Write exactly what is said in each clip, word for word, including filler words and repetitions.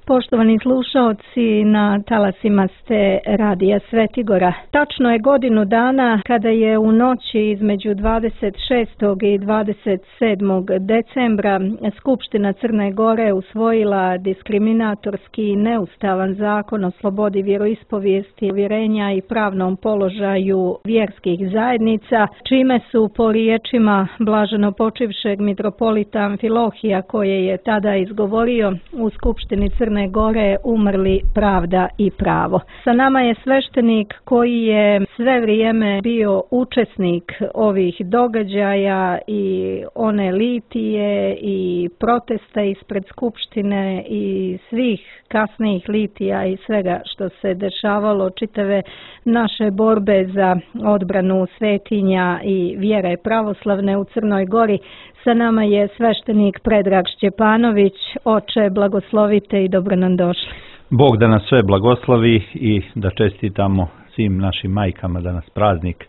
Poštovani slušaoci, na talasima ste Radija Svetigora. Tačno je godinu dana kada je u noći između dvadeset šestog i dvadeset sedmog decembra Skupština Crne Gore usvojila diskriminatorski i neustavan zakon o slobodi vjeroispovijesti, uvjerenja i pravnom položaju vjerskih zajednica, čime su po riječima blaženopočivšeg mitropolita Amfilohija, koje je tada izgovorio u Skupštini Crne Gore, umrli pravda i pravo. Sa nama je sveštenik koji je sve vrijeme bio učesnik ovih događaja i one litije i protesta ispred Skupštine i svih kasnijih litija i svega što se dešavalo, čitave naše borbe za odbranu svetinja i vjere pravoslavne u Crnoj Gori. Sa nama je sveštenik Predrag Šćepanović. Oče, blagoslovite i dobro nam došli. Bog da nas sve blagoslovi i da čestitamo svim našim majkama danas praznik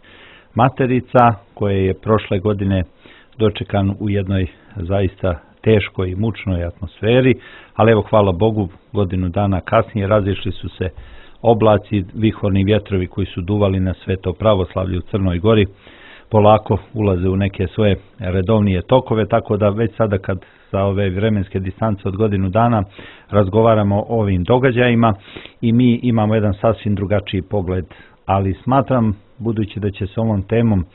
Materica, koje je prošle godine dočekan u jednoj zaista teškoj i mučnoj atmosferi, ali evo hvala Bogu, godinu dana kasnije razišli su se oblaci, vihorni vjetrovi koji su duvali na sveto pravoslavlje u Crnoj Gori, polako ulaze u neke svoje redovnije tokove, tako da već sada kad sa ove vremenske distance od godinu dana razgovaramo o ovim događajima i mi imamo jedan sasvim drugačiji pogled, ali smatram, budući da će se ovom temom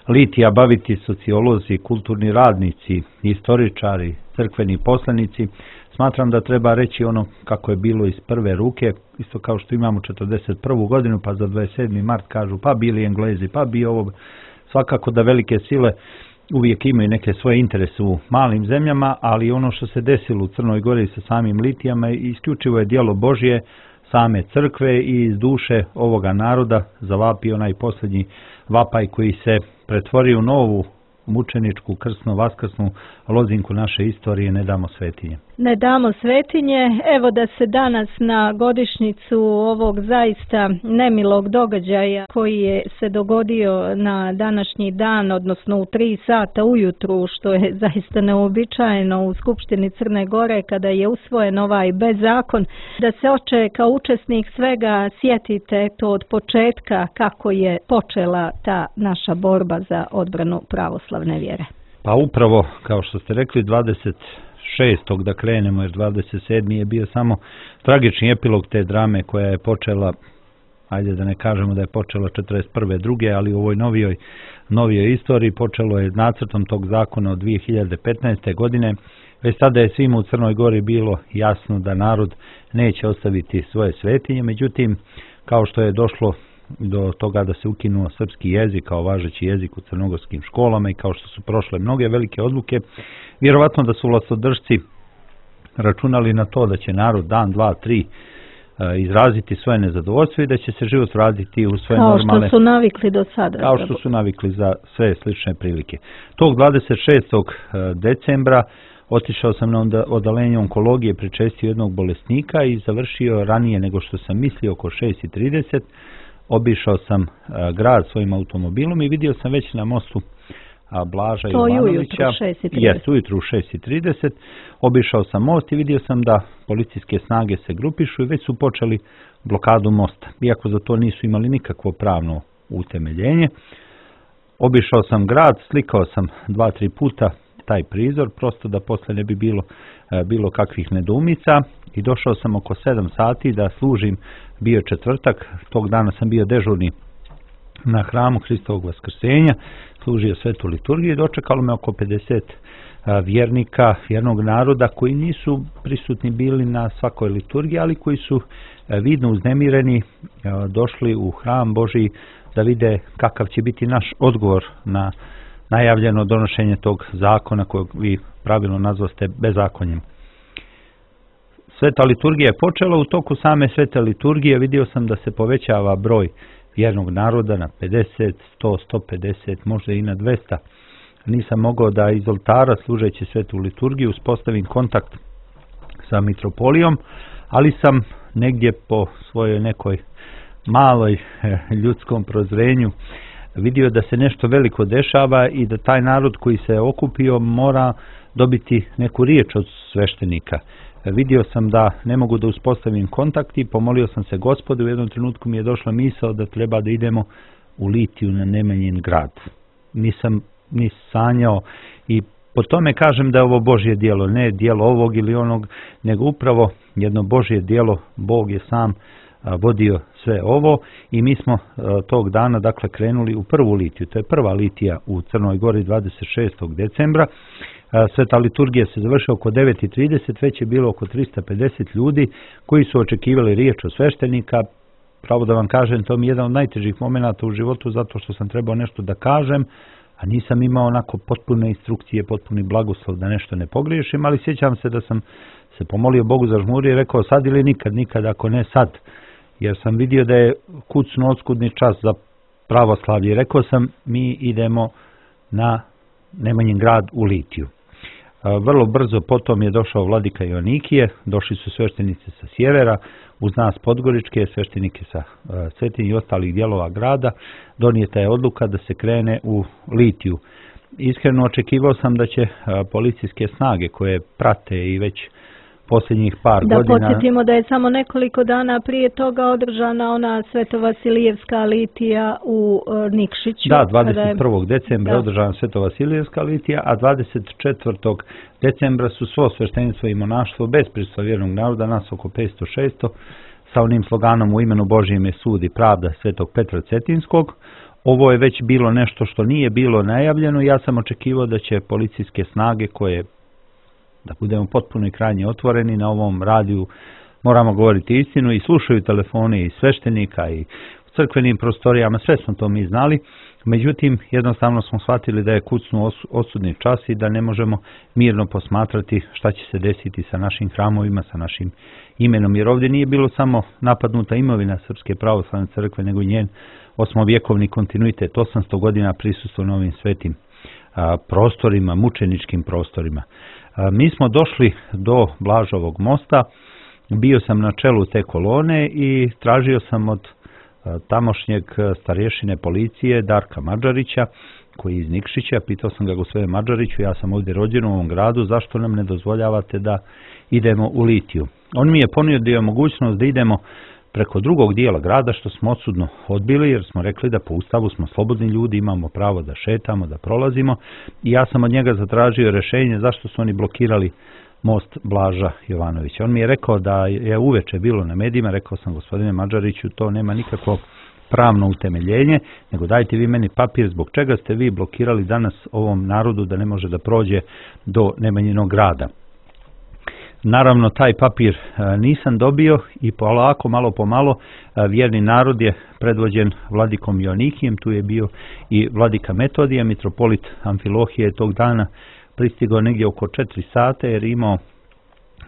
litija baviti sociolozi, kulturni radnici, istoričari, crkveni poslanici, smatram da treba reći ono kako je bilo iz prve ruke, isto kao što imamo četrdeset prvu godinu, pa za dvadeset sedmi mart kažu pa bili Englezi, pa bi ovo. Svakako da velike sile uvijek imaju neke svoje interese u malim zemljama, ali ono što se desilo u Crnoj Gori sa samim litijama isključivo je djelo Božje, same crkve i iz duše ovoga naroda zavapi onaj posljednji vapaj koji se pretvorio u novu mučeničku, krsno, vaskrsnu lozinku naše istorije, ne damo svetinje. Ne damo svetinje. Evo da se danas na godišnjicu ovog zaista nemilog događaja koji je se dogodio na današnji dan, odnosno u tri sata ujutru, što je zaista neobičajeno u Skupštini Crne Gore kada je usvojen ovaj bezzakon, da se, oče, kao učesnik svega sjetite to od početka kako je počela ta naša borba za odbranu pravoslavne vjere. Pa upravo, kao što ste rekli, dvadeset šestog da krenemo, jer dvadeset sedmi je bio samo tragični epilog te drame koja je počela, ajde da ne kažemo da je počela četrdeset prve druge, ali u ovoj novijoj, novijoj istoriji počelo je nacrtom tog zakona od dvije hiljade petnaeste. godine. Već tada je svima u Crnoj Gori bilo jasno da narod neće ostaviti svoje svetinje, međutim, kao što je došlo do toga da se ukinuo srpski jezik kao važeći jezik u crnogorskim školama i kao što su prošle mnoge velike odluke, vjerovatno da su vlastodržci računali na to da će narod dan, dva, tri izraziti svoje nezadovoljstvo i da će se život vratiti u svoje kao normalne... Kao što su navikli do sada. Kao što su navikli za sve slične prilike. Tog dvadeset šestog decembra otišao sam na odalenje onkologije, pričestio jednog bolesnika i završio ranije nego što sam mislio, oko šest i trideset. Obišao sam a, grad svojim automobilom i vidio sam već na mostu a, Blaža to Jovanovića. šest i trideset. Jest, ujutru u šest i trideset. Obišao sam most i vidio sam da policijske snage se grupišu i već su počeli blokadu mosta, iako za to nisu imali nikakvo pravno utemeljenje. Obišao sam grad, slikao sam dva, tri puta taj prizor, prosto da posle ne bi bilo a, bilo kakvih nedoumica, i došao sam oko sedam sati da služim. Bio četvrtak, tog dana sam bio dežurni na hramu Hristovog Vaskrsenja, služio svetu liturgiju i dočekalo me oko pedeset vjernika, vjernog naroda koji nisu prisutni bili na svakoj liturgiji, ali koji su vidno uznemireni došli u hram Božji da vide kakav će biti naš odgovor na najavljeno donošenje tog zakona kojeg vi pravilno nazvaste bezakonjem. Sveta liturgija je počela, u toku same svete liturgije vidio sam da se povećava broj vjernog naroda na pedeset, sto, sto pedeset, možda i na dvesta. Nisam mogao da iz oltara, služeći svetu liturgiju, uspostavim kontakt sa mitropolijom, ali sam negdje po svojoj nekoj maloj ljudskom prozrenju vidio da se nešto veliko dešava i da taj narod koji se okupio mora dobiti neku riječ od sveštenika. vidio sam da ne mogu da uspostavim kontakt i pomolio sam se Gospodu. U jednom trenutku mi je došla misao da treba da idemo u Litiju na Nemanjin grad. Nisam ni sanjao i po tome kažem da je ovo Božje djelo, ne djelo ovog ili onog, nego upravo jedno Božje djelo. Bog je sam vodio sve ovo i mi smo tog dana dakle krenuli u prvu litiju. To je prva litija u Crnoj Gori dvadeset šestog decembra. Sveta liturgija se završila oko devet i trideset, već je bilo oko trista pedeset ljudi koji su očekivali riječ od sveštenika. Pravo da vam kažem, to mi je jedan od najtežih momenata u životu zato što sam trebao nešto da kažem, a nisam imao onako potpune instrukcije, potpuni blagoslov da nešto ne pogriješim, ali sjećam se da sam se pomolio Bogu za žmuri i rekao sad ili nikad, nikad ako ne sad, jer sam vidio da je kucno oskudni čas za pravoslavlje i rekao sam mi idemo na Nemanjin grad u Litiju. Vrlo brzo potom je došao vladika Joanikije, došli su sveštenici sa sjevera, uz nas podgoričke, sveštenike sa Cetinja i ostalih dijelova grada. Donijeta je odluka da se krene u Litiju. Iskreno očekivao sam da će policijske snage koje prate i već posljednjih par da godina... Da podsjetimo da je samo nekoliko dana prije toga održana ona Svetovasilijevska litija u Nikšiću. Da, dvadeset prvog decembra da. je održana Svetovasilijevska litija, a dvadeset četvrtog decembra su svo sveštenstvo i monaštvo bez prisustva vjernog naroda, nas oko petsto šesto, sa onim sloganom u imenu Božjem je sud i pravda Svetog Petra Cetinskog. Ovo je već bilo nešto što nije bilo najavljeno. Ja sam očekivao da će policijske snage koje, da budemo potpuno i krajnje otvoreni na ovom radiju, moramo govoriti istinu i slušaju telefone i sveštenika i u crkvenim prostorijama, sve smo to mi znali. Međutim, jednostavno smo shvatili da je kucnu osudni čas i da ne možemo mirno posmatrati šta će se desiti sa našim hramovima, sa našim imenom. Jer ovdje nije bilo samo napadnuta imovina Srpske pravoslavne crkve, nego i njen osmovjekovni kontinuitet, osamsto godina prisustva na ovim svetim a, prostorima, mučeničkim prostorima. A, mi smo došli do Blažovog mosta, bio sam na čelu te kolone i tražio sam od a, tamošnjeg starješine policije Darka Mađarića, koji je iz Nikšića, pitao sam ga: gospodine Mađariću, ja sam ovdje rođen u ovom gradu, zašto nam ne dozvoljavate da idemo u Litiju? On mi je ponudio mogućnost da idemo preko drugog dijela grada, što smo odsudno odbili, jer smo rekli da po Ustavu smo slobodni ljudi, imamo pravo da šetamo, da prolazimo, i ja sam od njega zatražio rješenje zašto su oni blokirali most Blaža Jovanovića. On mi je rekao da je uveče bilo na medijima, rekao sam: gospodine Mađariću, to nema nikakvo pravno utemeljenje, nego dajte vi meni papir zbog čega ste vi blokirali danas ovom narodu da ne može da prođe do Nemanjinog grada. Naravno, taj papir nisam dobio i polako, malo po malo, vjerni narod je predvođen vladikom Joanikijem, tu je bio i vladika Metodija, mitropolit Amfilohije tog dana pristigao negdje oko četiri sata jer je imao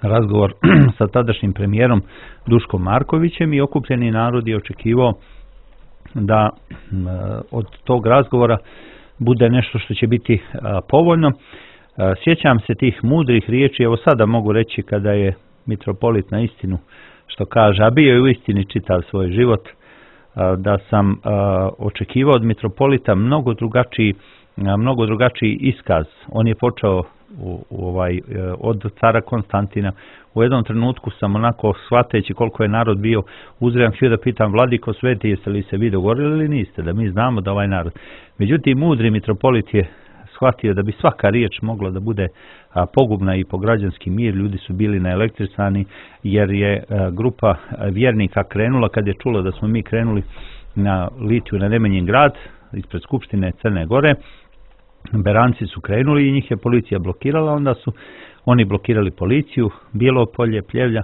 razgovor sa tadašnjim premijerom Duškom Markovićem i okupljeni narod je očekivao da od tog razgovora bude nešto što će biti povoljno. Sjećam se tih mudrih riječi, evo sada mogu reći kada je mitropolit na istinu što kaže, a bio je u istini čitav svoj život, da sam očekivao od mitropolita mnogo drugačiji, mnogo drugačiji iskaz. On je počeo u, u ovaj, od cara Konstantina. U jednom trenutku sam onako, shvateći koliko je narod bio uzrejan, htio da pitam: vladiko sveti, jeste li se vi dogovorili ili niste, da mi znamo da ovaj narod. Međutim, mudri mitropolit je shvatio da bi svaka riječ mogla da bude a, pogubna i po građanski mir. Ljudi su bili naelektrisani jer je a, grupa vjernika krenula, kad je čula da smo mi krenuli na Litiju, na Nemanjin grad, ispred Skupštine Crne Gore. Beranci su krenuli i njih je policija blokirala, onda su oni blokirali policiju, Bijelo Polje, Pljevlja,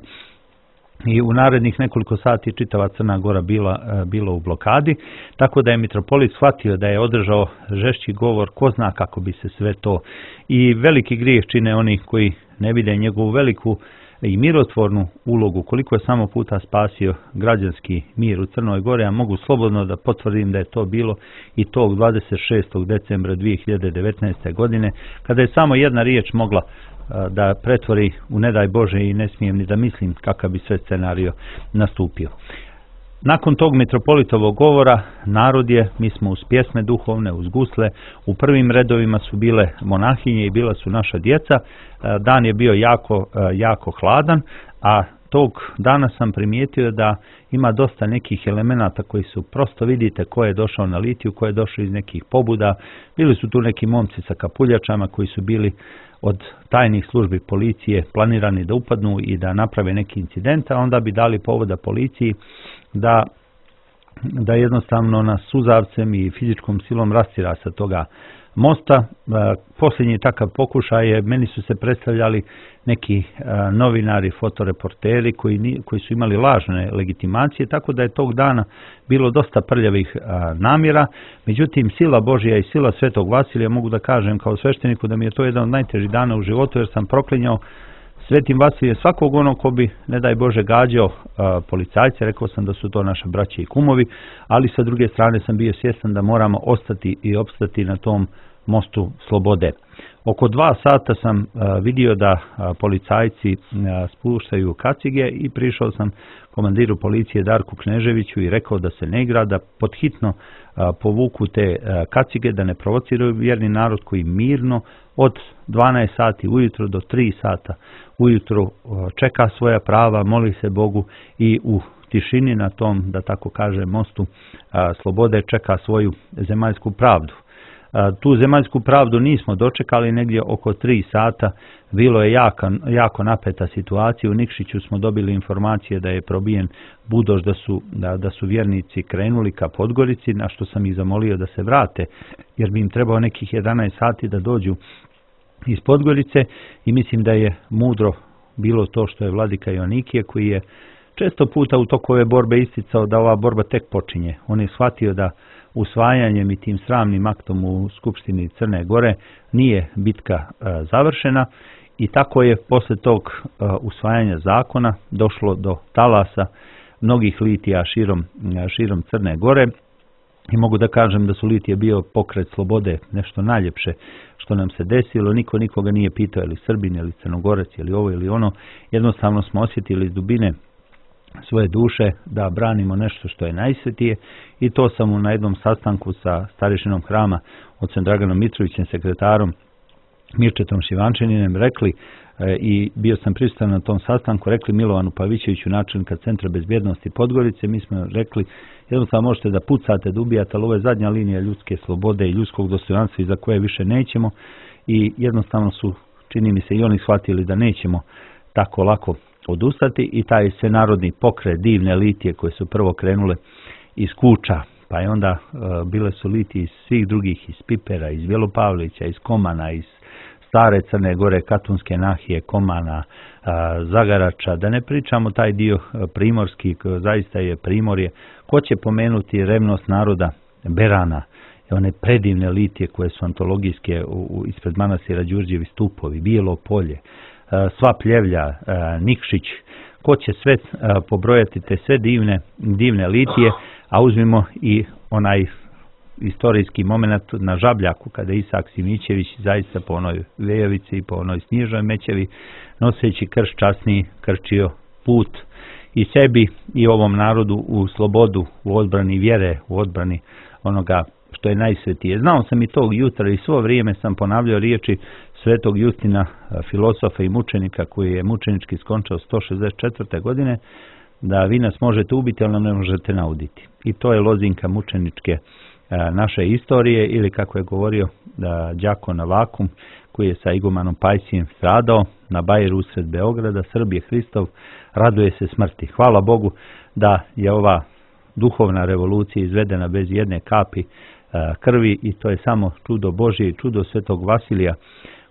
i u narednih nekoliko sati čitava Crna Gora bila, bila u blokadi, tako da je mitropolit shvatio da je održao žešći govor, ko zna kako bi se sve to, i veliki grijeh čine oni koji ne vide njegovu veliku i mirotvornu ulogu, koliko je samo puta spasio građanski mir u Crnoj Gori, a mogu slobodno da potvrdim da je to bilo i tog dvadeset šestog decembra dvije hiljade devetnaeste. godine, kada je samo jedna riječ mogla da pretvori u ne daj Bože, i ne smijem ni da mislim kakav bi sve scenario nastupio. Nakon tog mitropolitovog govora narod je, mi smo uz pjesme duhovne, uz gusle, u prvim redovima su bile monahinje i bila su naša djeca. Dan je bio jako, jako hladan, a tog dana sam primijetio da ima dosta nekih elemenata koji su, prosto vidite ko je došao na litiju, ko je došao iz nekih pobuda. Bili su tu neki momci sa kapuljačama koji su bili od tajnih službi policije planirani da upadnu i da naprave neki incident, a onda bi dali povoda policiji da, da jednostavno nas suzavcem i fizičkom silom rastira sa toga mosta. Posljednji takav pokušaj je, meni su se predstavljali neki novinari, fotoreporteri koji, koji su imali lažne legitimacije, tako da je tog dana bilo dosta prljavih namjera. Međutim, sila Božja i sila Svetog Vasilija, mogu da kažem kao svešteniku da mi je to jedan od najtežih dana u životu, jer sam proklinjao Svetim Vasilijem svakog onog ko bi, ne daj Bože, gađao policajce. Rekao sam da su to naše braće i kumovi, ali sa druge strane sam bio svjestan da moramo ostati i opstati na tom mostu slobode. Oko dva sata sam vidio da policajci spuštaju kacige i prišao sam komandiru policije Darku Kneževiću i rekao da se ne igra, da podhitno povuku te kacige, da ne provociraju vjerni narod koji mirno od dvanaest sati ujutro do tri sata ujutro čeka svoja prava, moli se Bogu i u tišini na tom, da tako kažem, mostu slobode čeka svoju zemaljsku pravdu. Tu zemaljsku pravdu nismo dočekali, negdje oko tri sata. Bilo je jako, jako napeta situacija. U Nikšiću smo dobili informacije da je probijen budoš, da su, da, da su vjernici krenuli ka Podgorici, na što sam ih zamolio da se vrate, jer bi im trebao nekih jedanaest sati da dođu iz Podgorice, i mislim da je mudro bilo to što je vladika Joanikije, koji je često puta u toku ove borbe isticao da ova borba tek počinje. On je shvatio da usvajanjem i tim sramnim aktom u Skupštini Crne Gore nije bitka e, završena, i tako je posle tog e, usvajanja zakona došlo do talasa mnogih litija širom, širom Crne Gore, i mogu da kažem da su litije bio pokret slobode, nešto najljepše što nam se desilo. Niko nikoga nije pitao je li Srbin ili Crnogorec ili ovo ili ono. Jednostavno smo osjetili iz dubine svoje duše da branimo nešto što je najsvetije, i to sam na jednom sastanku sa starešinom hrama, ocem Draganom Mitrovićem, sekretarom Mirčetom Šivančaninem, rekli, e, i bio sam prisutan na tom sastanku, rekli Milovanu Pavićeviću, načelnika Centra bezbjednosti Podgorice, mi smo rekli, jednostavno možete da pucate, da ubijate, ali ovo je zadnja linija ljudske slobode i ljudskog dostojanstva iza koje više nećemo, i jednostavno su, čini mi se, i oni shvatili da nećemo tako lako odustati, i taj svenarodni pokret divne litije koje su prvo krenule iz Kuča, pa je onda e, bile su litije iz svih drugih, iz Pipera, iz Bjelopavlića, iz Komana, iz Stare Crne Gore, Katunske Nahije, Komana, e, Zagarača, da ne pričamo taj dio primorski, zaista je primorje. Ko će pomenuti revnost naroda Berana, one predivne litije koje su antologijske u, u, ispred manastira Đurđevi stupovi, Bijelo polje, sva Pljevlja, Nikšić, ko će sve pobrojati te sve divne, divne litije, a uzmimo i onaj istorijski moment na Žabljaku, kada je Isak Simićević zaista po onoj Vejovici i po onoj Snježnoj Mećevi, noseći krš časni, krčio put i sebi i ovom narodu u slobodu, u odbrani vjere, u odbrani onoga što je najsvetije. Znao sam i tog jutra i svo vrijeme sam ponavljao riječi Svetog Justina, filosofa i mučenika, koji je mučenički skončao sto šezdeset četvrte godine, da vi nas možete ubiti, ali nam ne možete nauditi. I to je lozinka mučeničke naše istorije, ili kako je govorio đakon Avakum, koji je sa igumanom Pajsijem stradao na Bajeru usred Beograda, Srbije Hristov, raduje se smrti. Hvala Bogu da je ova duhovna revolucija izvedena bez jedne kapi krvi, i to je samo čudo Božje i čudo Svetog Vasilija,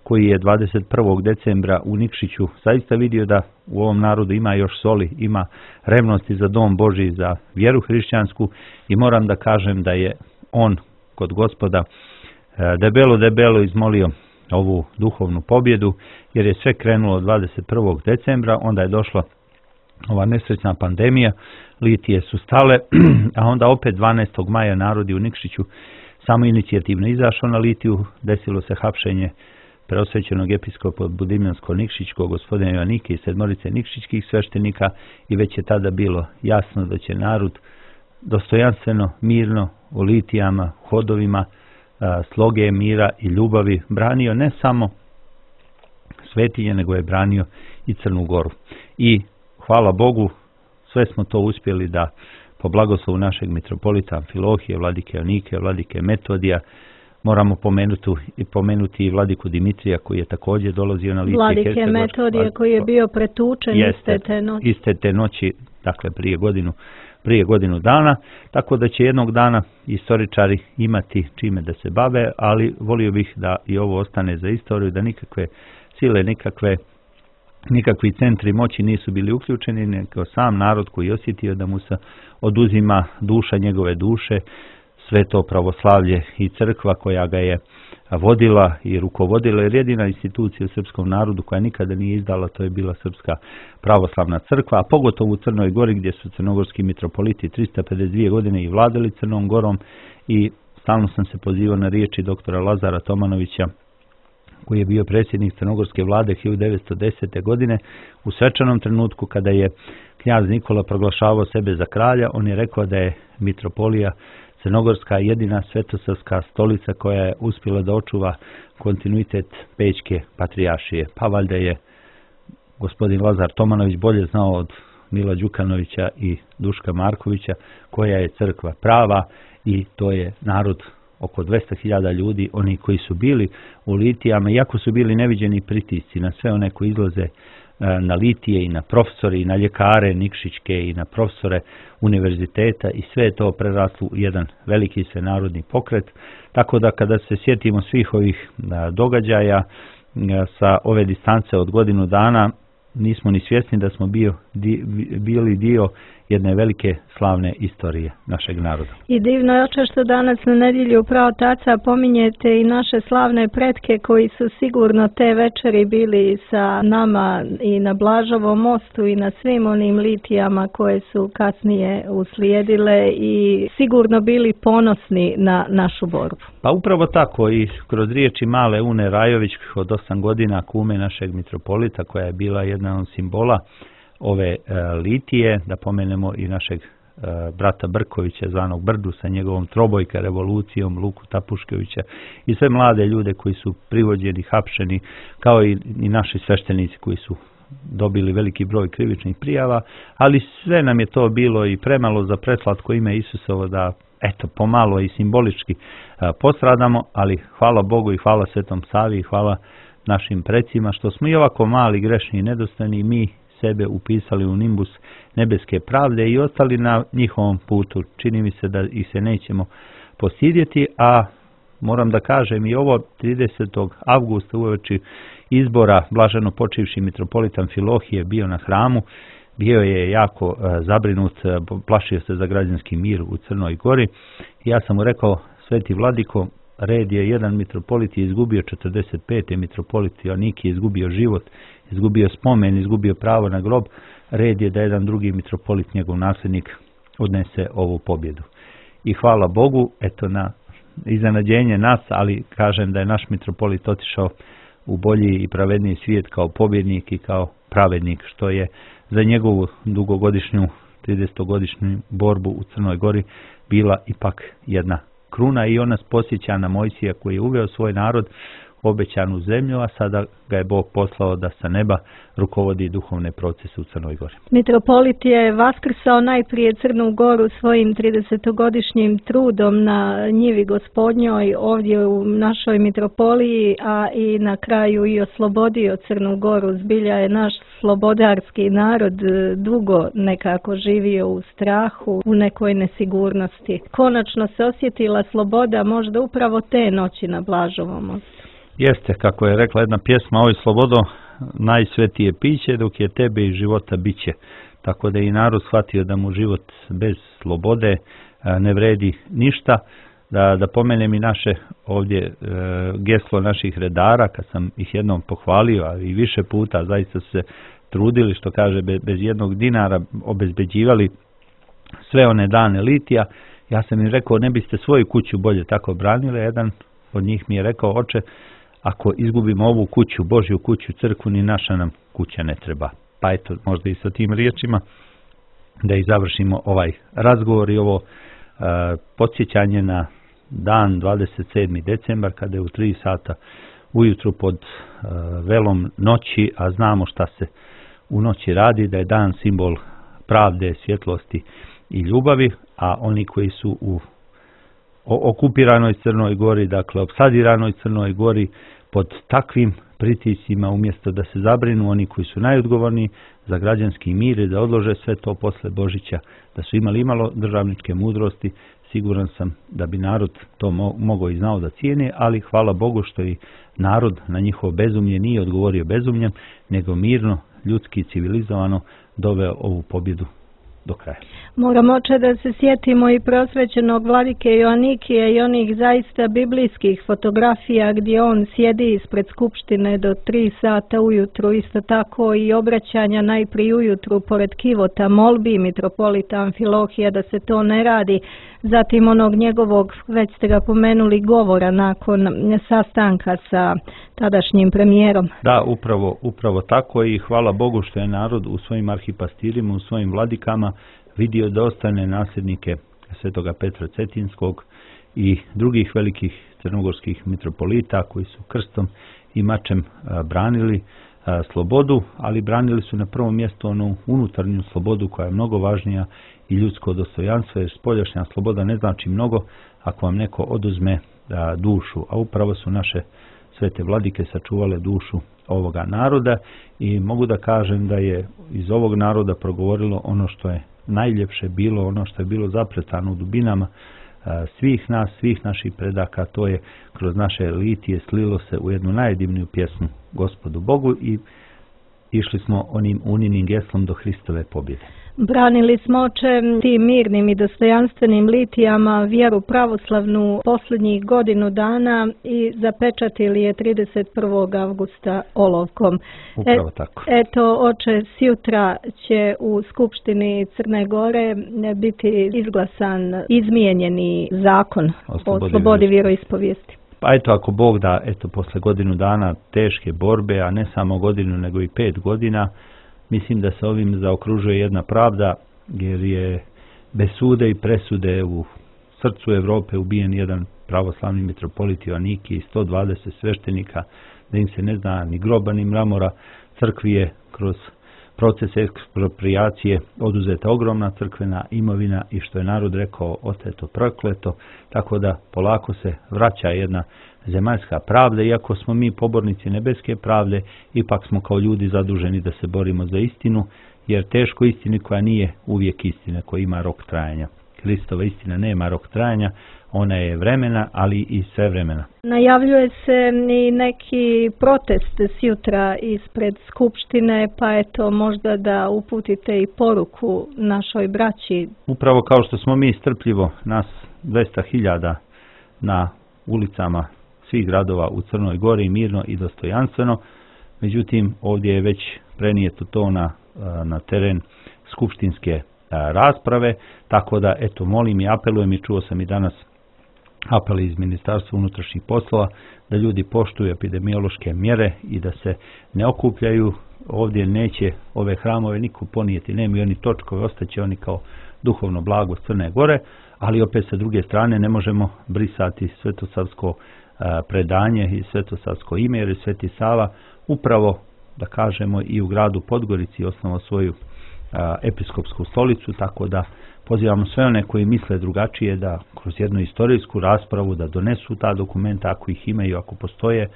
koji je dvadeset prvog decembra u Nikšiću zaista vidio da u ovom narodu ima još soli, ima revnosti za dom Božji, za vjeru hrišćansku, i moram da kažem da je on kod Gospoda debelo, debelo izmolio ovu duhovnu pobjedu, jer je sve krenulo dvadeset prvog decembra, onda je došla ova nesrećna pandemija, litije su stale, a onda opet dvanaestog maja narodi u Nikšiću samo inicijativno izašao na litiju, desilo se hapšenje preosvećenog episkopa Budimljansko-Nikšićkog gospodina Joanike i sedmorice nikšićkih sveštenika, i već je tada bilo jasno da će narod dostojanstveno, mirno, u litijama, hodovima, sloge, mira i ljubavi branio ne samo Svetinje, nego je branio i Crnu Goru. I hvala Bogu, sve smo to uspjeli da po blagoslovu našeg mitropolita Amfilohije, vladike Jonike, vladike Metodija, moramo pomenuti i pomenuti i vladiku Dimitrija koji je također dolazio na lice Vladike Metodije koji je bio pretučen iste te noći. Iste te noći, dakle prije godinu, prije godinu dana, tako da će jednog dana istoričari imati čime da se bave, ali volio bih da i ovo ostane za istoriju, da nikakve sile, nikakve nikakvi centri moći nisu bili uključeni, nego sam narod koji je osjetio da mu se oduzima duša njegove duše, sve to pravoslavlje i crkva koja ga je vodila i rukovodila, jer jedina institucija u srpskom narodu koja nikada nije izdala, to je bila Srpska pravoslavna crkva, a pogotovo u Crnoj Gori gdje su crnogorski mitropoliti trista pedeset dvije godine i vladali Crnom Gorom, i stalno sam se pozivao na riječi doktora Lazara Tomanovića koji je bio predsjednik crnogorske vlade hiljadu devetsto desete. godine. U svečanom trenutku kada je knjaz Nikola proglašavao sebe za kralja, on je rekao da je mitropolija Crnogorska jedina svetosavska stolica koja je uspjela da očuva kontinuitet Pećke patrijaršije. Pa valjda je gospodin Lazar Tomanović bolje znao od Mila Đukanovića i Duška Markovića koja je crkva prava, i to je narod oko dvesta hiljada ljudi, oni koji su bili u litijama, iako su bili neviđeni pritisci na sve one koji izlaze na litije i na profesore i na ljekare Nikšićke i na profesore univerziteta, i sve je to preraslo u jedan veliki svenarodni pokret. Tako da kada se sjetimo svih ovih događaja sa ove distance od godinu dana, nismo ni svjesni da smo bio, di, bili dio jedne velike slavne istorije našeg naroda. I divno je, oče, što danas na nedjelju pravo taca pominjete i naše slavne pretke koji su sigurno te večeri bili sa nama i na Blažovom mostu i na svim onim litijama koje su kasnije uslijedile i sigurno bili ponosni na našu borbu. Pa upravo tako, i kroz riječi male Une Rajović od osam godina, kume našeg mitropolita, koja je bila jedna od simbola ove e, litije, da pomenemo i našeg e, brata Brkovića, zvanog Brdu, sa njegovom trobojka revolucijom, Luku Tapuškevića, i sve mlade ljude koji su privođeni, hapšeni, kao i, i naši sveštenici koji su dobili veliki broj krivičnih prijava, ali sve nam je to bilo i premalo za preslatko ime Isusovo da, eto, pomalo i simbolički a, postradamo, ali hvala Bogu i hvala Svetom Savi i hvala našim precima što smo i ovako mali, grešni i nedostojni mi sebe upisali u nimbus nebeske pravde i ostali na njihovom putu. Čini mi se da ih se nećemo postidjeti, a moram da kažem i ovo tridesetog avgusta uoči izbora blaženo počivši mitropolit Amfilohije bio na hramu, bio je jako uh, zabrinut, uh, plašio se za građanski mir u Crnoj Gori. Ja sam mu rekao, sveti vladiko, red je, jedan mitropolit je izgubio četrdeset pete mitropolit Jonik je izgubio život, izgubio spomen, izgubio pravo na grob, red je da jedan drugi mitropolit, njegov nasljednik, odnese ovu pobjedu. I hvala Bogu, eto, na iznenađenje nas, ali kažem da je naš mitropolit otišao u bolji i pravedniji svijet kao pobjednik i kao pravednik, što je za njegovu dugogodišnju, tridesetogodišnju borbu u Crnoj Gori bila ipak jedna kruna, i on nas posjeća na Mojsija koji je uveo svoj narod u obećanu zemlju, a sada ga je Bog poslao da sa neba rukovodi duhovne procese u Crnoj Gori. Mitropolit je vaskrsao najprije Crnu Goru svojim tridesetogodišnjim trudom na njivi Gospodnjoj ovdje u našoj mitropoliji, a i na kraju i oslobodio Crnu Goru. Zbilja je naš slobodarski narod dugo nekako živio u strahu, u nekoj nesigurnosti. Konačno se osjetila sloboda možda upravo te noći na Blažovom mostu. Jeste, kako je rekla jedna pjesma, oj slobodo, najsvetije piće, dok je tebe i života biće. Tako da je i narod shvatio da mu život bez slobode ne vredi ništa. Da, da pomenem i naše ovdje e, geslo naših redara, kad sam ih jednom pohvalio, a i više puta zaista su se trudili, što kaže, bez, bez jednog dinara obezbeđivali sve one dane litija. Ja sam im rekao, ne biste svoju kuću bolje tako branili. Jedan od njih mi je rekao, oče, ako izgubimo ovu kuću, Božju kuću, crkvu, ni naša nam kuća ne treba. Pa eto, možda i sa tim riječima da i završimo ovaj razgovor i ovo e, podsjećanje na dan dvadeset sedmi decembar, kada je u tri sata ujutru pod e, velom noći, a znamo šta se u noći radi, da je dan simbol pravde, svjetlosti i ljubavi, a oni koji su u okupiranoj Crnoj Gori, dakle opsadiranoj Crnoj Gori, pod takvim pritiscima, umjesto da se zabrinu oni koji su najodgovorniji za građanski mir i da odlože sve to posle Božića, da su imali imalo državničke mudrosti, siguran sam da bi narod to mo mogao i znao da cijeni, ali hvala Bogu što i narod na njihovo bezumlje nije odgovorio bezumljem, nego mirno, ljudski, civilizovano doveo ovu pobjedu do kraja. Moramo oče da se sjetimo i prosvećenog vladike Joanikija i onih zaista biblijskih fotografija gdje on sjedi ispred skupštine do tri sata ujutru, isto tako i obraćanja najprije ujutru pored kivota, molbi mitropolita Amfilohija da se to ne radi, zatim onog njegovog, već ste ga pomenuli, govora nakon sastanka sa tadašnjim premijerom. Da, upravo, upravo tako i hvala Bogu što je narod u svojim arhipastirima, u svojim vladikama vidio da ostane nasljednike Svetoga Petra Cetinskog i drugih velikih crnogorskih mitropolita koji su krstom i mačem branili slobodu, ali branili su na prvom mjestu onu unutarnju slobodu koja je mnogo važnija i ljudsko dostojanstvo, jer spoljašnja sloboda ne znači mnogo ako vam neko oduzme dušu, a upravo su naše svete vladike sačuvale dušu ovoga naroda i mogu da kažem da je iz ovog naroda progovorilo ono što je najljepše bilo, ono što je bilo zapretano u dubinama svih nas, svih naših predaka, to je kroz naše litije slilo se u jednu najdivniju pjesmu Gospodu Bogu i išli smo onim uninim geslom do Hristove pobjede. Branili smo oče tim mirnim i dostojanstvenim litijama vjeru pravoslavnu posljednjih godinu dana i zapečatili je trideset prvog avgusta olovkom. Upravo tako. E, eto, oče, sjutra će u Skupštini Crne Gore biti izglasan izmijenjeni zakon o slobodi, o slobodi vjeroispovijesti. Pa eto, ako Bog da, eto, posle godinu dana teške borbe, a ne samo godinu, nego i pet godina, mislim da se ovim zaokružuje jedna pravda, jer je bez sude i presude u srcu Evrope ubijen jedan pravoslavni mitropolit Joanikij i sto dvadeset sveštenika, da im se ne zna ni groba ni mramora. Crkvi je kroz proces eksproprijacije oduzeta ogromna crkvena imovina i što je narod rekao, oteto prokleto, tako da polako se vraća jedna zemaljska pravda, iako smo mi pobornici nebeske pravde, ipak smo kao ljudi zaduženi da se borimo za istinu, jer teško istini koja nije uvijek istina, koja ima rok trajanja. Hristova istina nema rok trajanja, ona je vremena, ali i sve vremena. Najavljuje se i neki protest sjutra ispred Skupštine, pa eto možda da uputite i poruku našoj braći. Upravo kao što smo mi strpljivo, nas dvesta hiljada na ulicama svih gradova u Crnoj Gori, mirno i dostojanstveno, međutim ovdje je već prenijeto to na, na teren skupštinske rasprave, tako da eto molim i apelujem i čuo sam i danas apeli iz Ministarstva unutrašnjih poslova da ljudi poštuju epidemiološke mjere i da se ne okupljaju. Ovdje neće ove hramove niko ponijeti, nema i oni točkove, ostaće oni kao duhovno blago Crne Gore, ali opet sa druge strane ne možemo brisati svetosavsko predanje i svetosavsko ime, jer je Sveti Sava upravo, da kažemo, i u gradu Podgorici osnovao svoju a, episkopsku stolicu, tako da pozivamo sve one koji misle drugačije da kroz jednu istorijsku raspravu da donesu ta dokumenta ako ih imaju, ako postoje,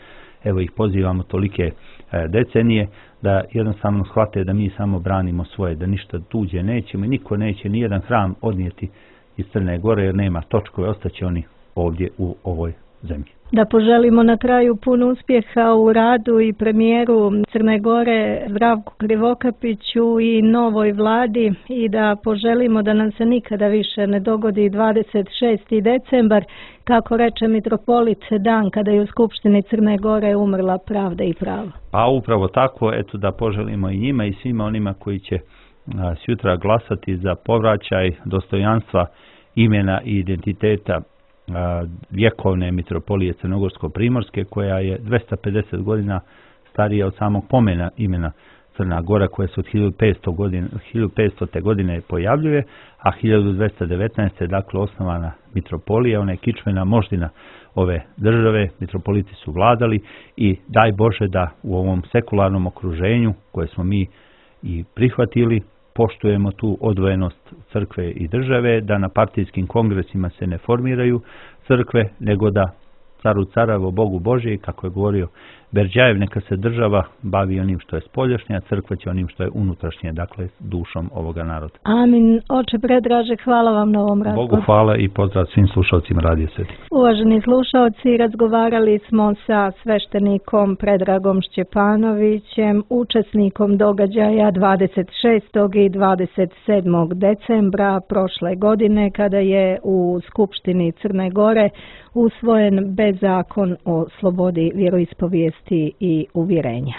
evo ih pozivamo tolike e, decenije, da jednostavno shvate da mi samo branimo svoje, da ništa tuđe nećemo i niko neće ni jedan hram odnijeti iz Crne Gore, jer nema točkove, ostaće oni ovdje u ovoj zemlji. Da poželimo na kraju puno uspjeha u radu i premijeru Crne Gore Zdravku Krivokapiću i novoj vladi i da poželimo da nam se nikada više ne dogodi dvadeset šesti decembar, kako reče mitropolit, dan kada je u Skupštini Crne Gore umrla pravda i pravo. Pa upravo tako, eto da poželimo i njima i svima onima koji će a, sutra glasati za povraćaj dostojanstva, imena i identiteta vjekovne mitropolije Crnogorsko-Primorske, koja je dvesta pedeset godina starija od samog pomena imena Crna Gora koja se od hiljadu petstote. godine pojavljuje, a hiljadu dvesta devetnaeste. dakle osnovana mitropolija, ona je kičmena moždina ove države, mitropoliti su vladali i daj Bože da u ovom sekularnom okruženju koje smo mi i prihvatili, poštujemo tu odvojenost crkve i države, da na partijskim kongresima se ne formiraju crkve, nego da caru caravo, Bogu Božje, kako je govorio Berđajev, neka se država bavi onim što je spoljašnje, a crkva će onim što je unutrašnje, dakle dušom ovoga naroda. Amin. Oče Predraže, hvala vam na ovom razgovoru. Bogu hvala i pozdrav svim slušalcima Radija Sveti. Uvaženi slušalci, razgovarali smo sa sveštenikom Predragom Šćepanovićem, učesnikom događaja dvadeset šestog i dvadeset sedmog decembra prošle godine, kada je u Skupštini Crne Gore usvojen bezzakon o slobodi vjeroispovijesti i uvjerenja.